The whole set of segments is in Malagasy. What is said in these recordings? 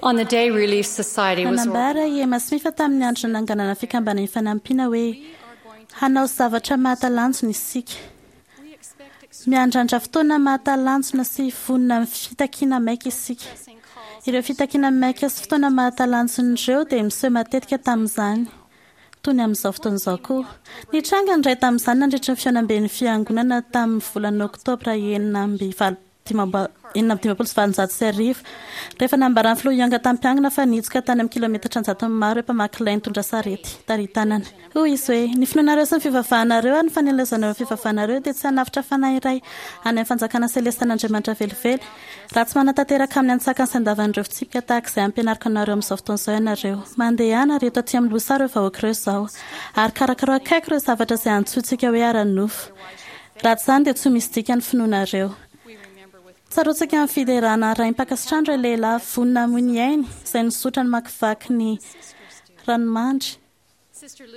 On the day Relief Society was Nanambara i Emma Smith tamin'ny andro nananganana Fikambanana Ifanampiana hoe, Hanao zavatra mahatalanjona isika. Miandrandra fotoana mahatalanjona sy vonona amin'ny fitakiana maika isika. Ireo fitakiana maika sy fotoana mahatalanjona ireo dia miseho matetika tamin'izany, toy ny amin'izao fotoana izao koa. Nitranga ny iray tamin'izany nandritra ny fihaonamben'ny Fiangonana tamin'ny volana Oktobra 1856, rehefa nambaran'ny Filoha Young tamim-piangona fa nihitsoka tany amin'ny kilometatra an-jatony maro ireo mpamaky lay nitondra sarety tari-tanana. Hoy izy hoe, Ny finoanareo sy ny fivavahanareo ary ny fanelezanareo ny fivavahanareo dia tsy hanavotra fanahy iray any amin'ny fanjakana selestan'Andriamanitra velively, raha tsy manatanteraka amin'ny antsakany sy andavan'ireo fitsipika tahaka izay ampianariko anareo amin'izao fotoana izao ianareo. Mandehana, ary eto aty amin'ny lohasaha ireo vahoaka ireo izao, ary karakarao akaiky ireo zavatra izay antsointsika hoe ara-nofo. Raha tsy izany dia tsy ho misy dikany ny finoanareo. Tsaroantsika amin'ny fiderana arahim-pankasitrahana ireo lehilahy vonona hamoy ny ainy izay nizotra namakivaky ny ranomandry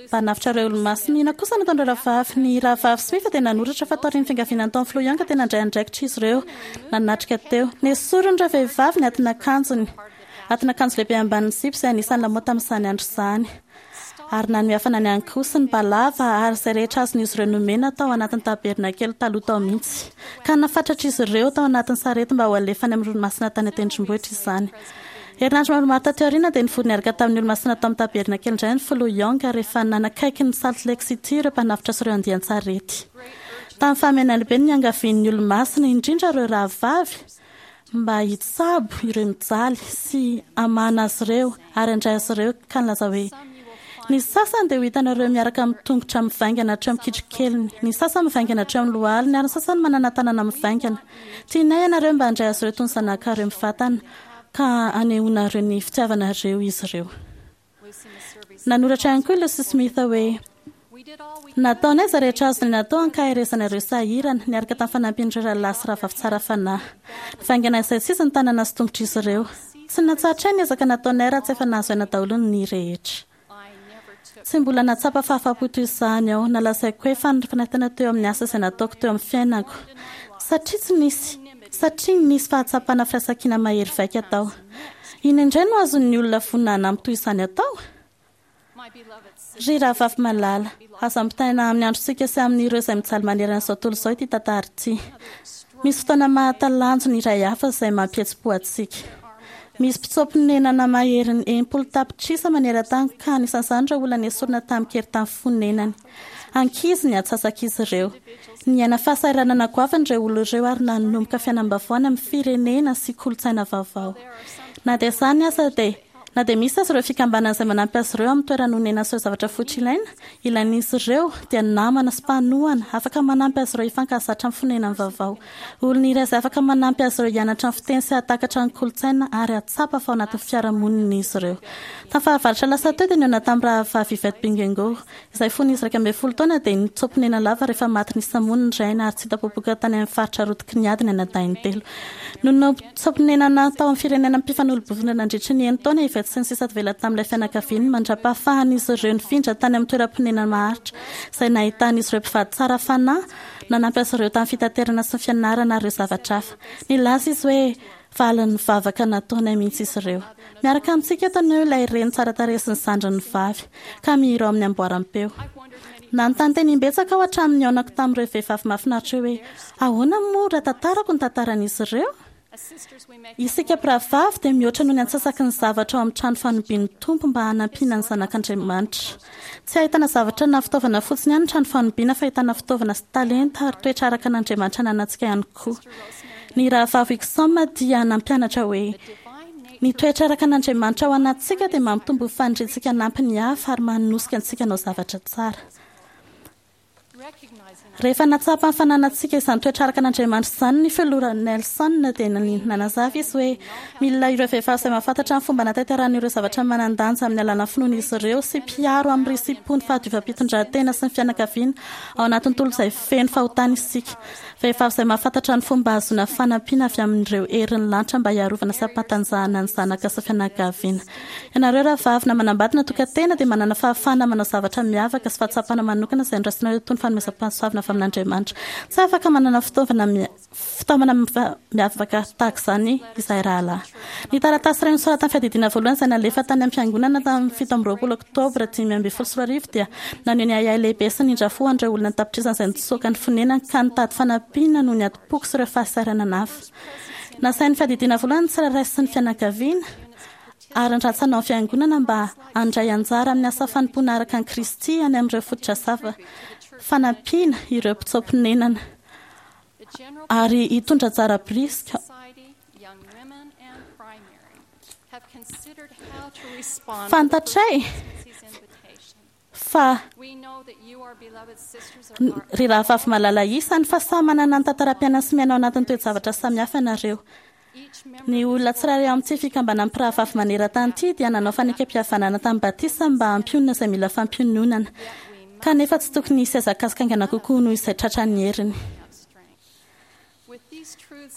mba hanavotra ireo Olomasina. Inona kosa no nataon'ireo rahavavy? Ny Rahavavy Smith dia nanoratra fa taorian'ny fiangaviana nataon'ny Filoha Young dia nandray andraikitra izy ireo nanatrika teo. Nesorin'ireo vehivavy ny atin'akanjony, atin'akanjo lehibe ambanin'ny zipo izay anisan'ny lamaody tamin'izany andro izany. Ary nanome hafanana ihany koa sy ny balava ary izay rehetra azon'izy ireo nomena tao anatin'ny tabernakely taloha tao mihitsy. Ka nafatratr'izy ireo tao anatin'ny sarety mba ho alefa any amin'ny ranomasina tany an-tendrombohitra izany. Herinandro maromaro taty aoriana dia nivory niaraka tamin'ny Olomasina tao amin'ny tabernakely indray ny Filoha Young rehefa nanakaiky ny Salt Lake City ireo mpanavotra sy ireo andian-tsarety. Tamin'ny fahamehana lehibe no niangavian'ny Olomasina, indrindra ireo rahavavy, mba hitsabo ireo mijaly sy hamahana azy ireo ary handray azy ireo ka nilaza hoe, Ny sasany dia ho hitanareo miaraka amin'ny tongotra mivaingana hatreo amin'ny kitrokeliny, ny sasany mivaingana hatreo amin'ny lohaliny ary ny sasany manana tanana mivaingana. Tianay ianareo mba handray azy ireo toy ny zanakareo mivantana ka hanehoanareo ny fitiavanareo izy ireo. Nanoratra ihany koa i Lucy Smith hoe, Nataonay izay rehetra azonay natao hankaherezana ireo sahirana, niaraka tamin'ny fanampian'ireo rahalahy sy rahavavy tsara fanahy. Nivaingana izay tsy izy ny tanana sy tongotr'izy ireo. Tsy natsahatray ny ezaka nataonay raha tsy efa nahazo aina daholo ny rehetra. Tsy mbola nahatsapa fahafahampo toy izany aho, na lazaiko hoe fanirifanatena teo amin'ny asa izay nataoko teo amin'ny fiainako, satria tsy nisy, satria nisy fahatsapana firaisankina mahery vaika tao. Inona indray no azon'ny olona vonona hanampy toy izany atao? Ry rahavavy malala, azo ampitaina amin'ny androntsika sy amin'ireo izay mijaly manerana izao tontolo izao ity tantara ity. Misy fotoana mahatalanjona iray hafa izay mampihetsi-po antsika. Misy mpitsoa-ponenana maherin'ny 60 tapitrisa maneran-tany ka anisan'izany ireo olona nesorina tamin-kery tamin'ny fonenany. Ankizy ny antsasak'izy ireo. Niaina fahasahiranana goavana ireo olona ireo ary nanomboka fiainam-baovao any amin'ny firenena sy kolontsaina vaovao. Na dia izany aza dia na dia misy aza ireo fikambanana izay manampy azy ireo amin'ny toerana onenana sy ireo zavatra fototra ilaina, ilain'izy ireo dia namana sy mpanohana afaka manampy azy ireo hifankahazatra amin'ny fonenany vaovao. Olona iray izay afaka manampy azy ireo hianatra ny fiteny sy hahatakatra ny kolontsaina ary hahatsapa fa ao anatin'ny fiarahamonina izy ireo. Tamin'ny fahavaratra lasa teo dia nihaona tamin'ny rahavavy Yvette Bingengo, izay fony izy 11 taona dia nitsoa-ponena lava rehefa maty nisamono ny rainy ary tsy hita popoka tany amin'ny faritra rotiky ny ady ny anadahiny telo. Nonina ho mpitsoa-ponenana tao amin'ny firenena mpifanolo-bovondrona nandritry ny enin-taona i Yvette sy ny sisa tavela tamin'ilay fianakaviany mandra-pahafahan'izy ireo nifindra tany amin'ny toeram-ponenana maharitra izay nahitan'izy ireo mpivady tsara fanahy nanampy azy ireo tamin'ny fitaterana sy ny fianarana ary ireo zavatra hafa. Nilaza izy hoe, Valin'ny vavaka nataonay mihitsy izy ireo. Miaraka amintsika eto anio ilay reny tsara tarehy sy ny zandriny vavy, ka mihira ao amin'ny amboaram-peo. Nanontany tena imbetsaka aho hatramin'ny nihaonako tamin'ireo vehivavy mahafinaritra ireo hoe, Ahoana moa raha tantarako ny tantaran'izy ireo? Isika mpirahavavy dia mihoatra noho ny antsasaky ny zavatra ao amin'ny trano fanobian'ny Tompo mba hanampiana ny zanak'Andriamanitra. Tsy ahitana zavatra na fitaovana fotsiny ihany ny trano fanobiana fa ahitana fitaovana sy talenta ary toetra araka an'Andriamanitra ananantsika ihany koa. Ny Rahavavy Wixom dia nampianatra hoe, Ny toetra araka an'Andriamanitra ao anatintsika dia mampitombo ny faniriantsika hanampy ny hafa ary manosika antsika hanao zavatra tsara. Rehefa nahatsapa ny fananantsika izany toetra araka an'Andriamanitra izany ny Filoha Nelson dia nanazava izy hoe, Mila ireo vehivavy izay mahafantatra ny fomba hanatanterahana ireo zavatra manan-danja amin'ny alalan'ny finoan'izy ireo sy mpiaro amin'ny risi-po ny fahadiovam-pitondrantena sy ny fianakaviana ao anatin'ny tontolo izay feno fahotana isika. Vehivavy izay mahafantatra ny fomba hahazoana fanampiana avy amin'ireo herin'ny lanitra mba hiarovana sy hampatanjahana ny zanaka sy fianakaviana. Ianareo rahavavy na manambady na tokan-tena dia manana fahafahana manao zavatra miavaka sy fahatsapana manokana izay noraisinareo toy ny. fanomezam-pahasoavana avy amin'Andriamanitra. Tsy afaka manana fitaovana fitaomana miavaka tahaka izany izahay rahalahy. Ny taratasy iray nosoratan'ny Fiadidiana Voalohany izay nalefa tany amin'ny Fiangonana tamin'ny 27 Oktobra 2015 dia naneho ny ahiahy lehibe sy nindra fo ho an'ireo olona an-tapitrisany izay nitsoaka ny fonenany ka nitady fanampiana noho ny adim-poko sy ireo fahasahiranana hafa. Nasain'ny Fiadidiana Voalohany ny tsirairay sy ny fianakaviana ary ny rantsana ao amin'ny Fiangonana mba handray anjara amin'ny asa fanompoana araka an'i Kristy any amin'ireo fotodrasava fanampiana ireo mpitsoa-ponenana ary hitondra anjara biriky Fantatray fa ry rahavavy malala isany fa samy manana ny tantaram-piainany sy miaina ao anatin'ny toe-javatra samihafa ianareo. Ny olona tsirairay ao amin'ity fikambanan'ny mpirahavavy maneran-tany ity dia nanao fanekempihavanana tamin'ny batisa mba hampionona izay mila fampiononana, kanefa tsy tokony hisy hazakazaka haingana kokoa noho izay tratran'ny heriny.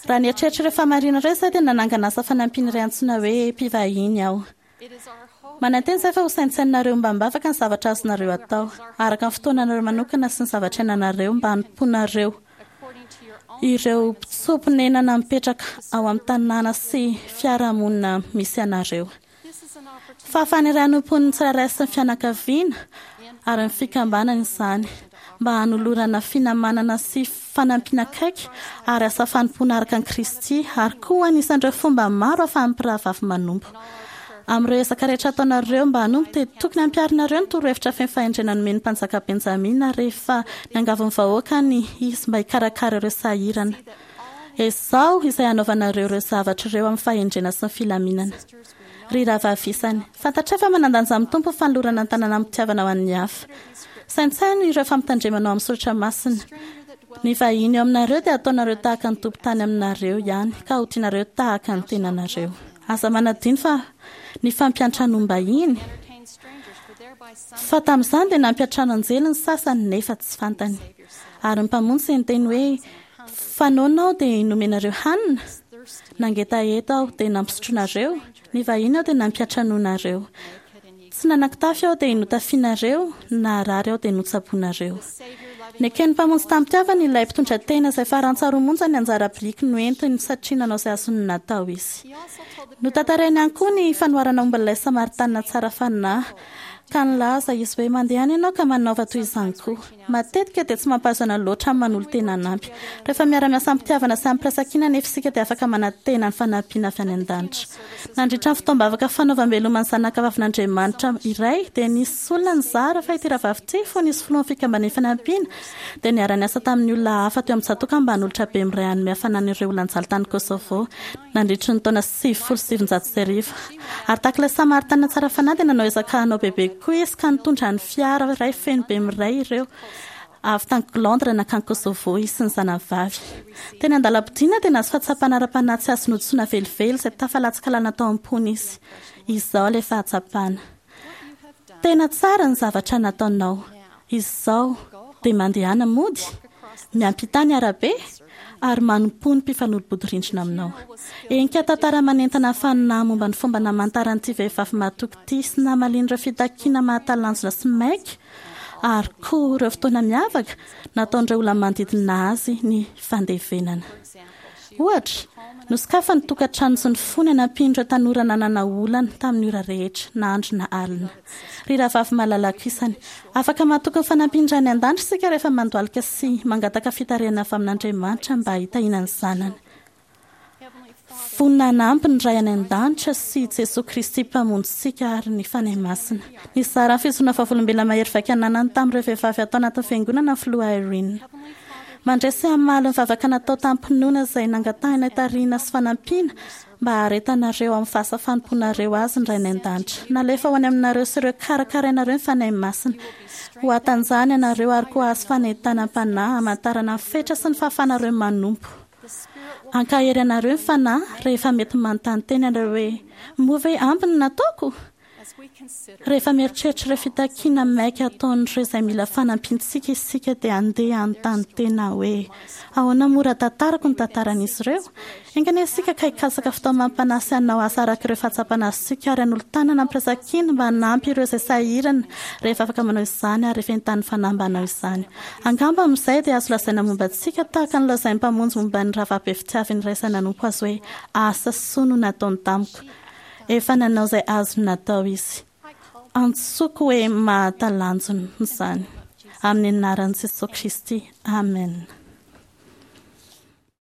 Raha nieritreritra ireo fahamarinana ireo izahay dia nanangana asa fanampiana iray antsoina hoe Mpivahiny aho. Manantena izahay fa hosaintsaininareo ombam-bavaka ny zavatra azonareo atao, araka ny fotoananareo manokana sy ny zavatra iainanareo mba hanompoanareo ireo mpitsoa-ponenana mipetraka ao amin'ny tanàna sy fiarahamonina misy anareo. Fahafahana iray hanompoan'ny tsirairay sy ny fianakaviana ary ny fikambanana izany mba hanolorana finamanana sy fanampiana akaiky ary asa fanompoana araka an'i Kristy ary koa anisan'ireo fomba maro ahafahan'ny mpirahavavy manompo. Amin'ireo ezaka rehetra ataonareo mba hanompo dia tokony hampiharinareo ny torohevitra feno fahendrena nomen'ny Mpanjaka Benjamina rehefa niangavy ny vahoakany izy mba hikarakara ireo sahirana. Ezaho izay hanaovanareo ireo zavatra ireo amin'ny fahendrena sy ny filaminana. Ry rahavavy isany, fantatray fa manan-danja amin'ny Tompo ny fanolorana ny tanana amim-pitiavana ho an'ny hafa. Saintsaino ireo fampitandremana ao amin'ny soratra masina. Ny vahiny eo aminareo dia hataonareo tahaka ny tompon-tany aminareo ihany, ka ho tianareo tahaka ny tenanareo. Aza manadino fa ny fampiantranoam-bahiny, fa tamin'izany dia nampiantrano anjely ny sasany nefa tsy fantany. Ary ny Mpamonjy dia niteny hoe, Fa noana aho dia nomenareo hanina, nangetaheta aho dia nampisotroinareo, nivahiny aho dia nampiantranoinareo. Tsy nanan-kitafy aho dia notafianareo, naharary aho dia notsaboinareo. Neken'ny Mpamonjy tamim-pitiavana ilay mpitondra tena izay farantsa roa monja ny anjara biriky noentiny satria nanao izay azony natao izy. Notantarainy ihany koa ny fanoharana momba ilay Samaritanina tsara fanahy, ka nilaza izy hoe, Mandehana ianao ka manaova toy izany koa. Matetika dia tsy mampahazo aina loatra ny manolo-tena hanampy. Rehefa miara-miasa amim-pitiavana sy amim-piraisankina anefa isika dia afaka manantena ny fanampiana avy any an-danitra. Nandritra ny fotoam-bavaka fanaovam-beloma ny zanakavavin'Andriamanitra iray dia nisy olona nizara fa ity rahavavy ity fony izy filohan'ny Fikambanan'ny Fanampiana dia niara-niasa tamin'ny olona hafa teo amin'ny tsatòka mba hanolotra bemiray hanome hafanana ireo olona nijaly tany Kosovo nandritry ny taona 1990. Ary tahaka ilay Samaritana tsara fanahy dia nanao ezaka hanao bebe kokoa izy ka nitondra ny fiara iray feno bemiray ireo avy tany Londres nankany Kosovo izy sy ny zanany vavy. Teny an-dalam-podiana dia nahazo fahatsapana ara-panahy tsy azo nodisoana velively izay tafalatsaka lalina tao am-pony izy. Izao ilay fahatsapana. Tena tsara ny zavatra nataonao. Izao dia mandehana mody, miampità ny arabe, ary manompoa ny mpifanolo-bodirindrina aminao. Henika tantara manentana ny fanahy momba ny fomba namantaran'ity vehivavy mahatoky ity sy namaliany ireo fitakiana mahatalanjona sy maika ary koa ireo fotoana miavaka nataon'ireo olona manodidina azy ny fandevenana. Ohatra, nosokafany ny tokantrano sy ny fony hanampiany ireo tanora nanana olana tamin'ny ora rehetra, na andro na alina. Ry rahavavy malalako isany, afaka matoky ny fanampian'ny Ray any An-danitra isika rehefa mandohalika sy mangataka fitarihana avy amin'Andriamanitra mba hitahiana ny zanany. Vonona hanampy ny Ray any An-danitra sy Jesoa Kristy Mpamonjintsika ary ny Fanahy Masina. Nizara ny fijoroana vavolombelona mahery vaika ananany tamin'ireo vehivavy ato anatin'ny Fiangonana ny Filoha Eyring. Mandray sy hamaly ny vavaka natao tamim-pinoana izay nangatahina hitarihina sy fanampiana mba haharetanareo amin'ny fahasafanompoanareo Azy ny Rainay An-danitra. Nalefa ho any aminareo sy ireo karakarainareo ny Fanahy Masina. Ho hatanjahana ianareo ary koa hahazo fanentanam-panahy hamantarana ny fetra sy ny fahafahanareo manompo. Hankahery anareo ny Fanahy rehefa mety manontany tena ianareo hoe, Moa ve ampy ny nataoko? Rehefa mieritreritra ireo fitakiana maika ataon'ireo izay mila fanampiantsika isika dia andeha hanontany tena hoe, Ahoana moa raha tantarako ny tantaran'izy ireo? Enga anie isika ka hikatsaka fitaomam-panahy sy hanao asa araka ireo fahatsapana azontsika ary hanolo-tanana am-piraisan-kina mba hanampy ireo izay sahirana rehefa afaka manao izany ary rehefa entanin'ny fanahy mba hanao izany. Angamba amin'izay dia azo lazaina momba antsika tahaka ny lazain'ny Mpamonjy momba ny rahavabe fitiaviny iray izay nanompo Azy hoe, Asa soa no nataony tamiko. Efa nanao izay azony natao izy. Antsoiko hoe mahatalanjona izany. Amin'ny anaran'i Jesoa Kristy, amena.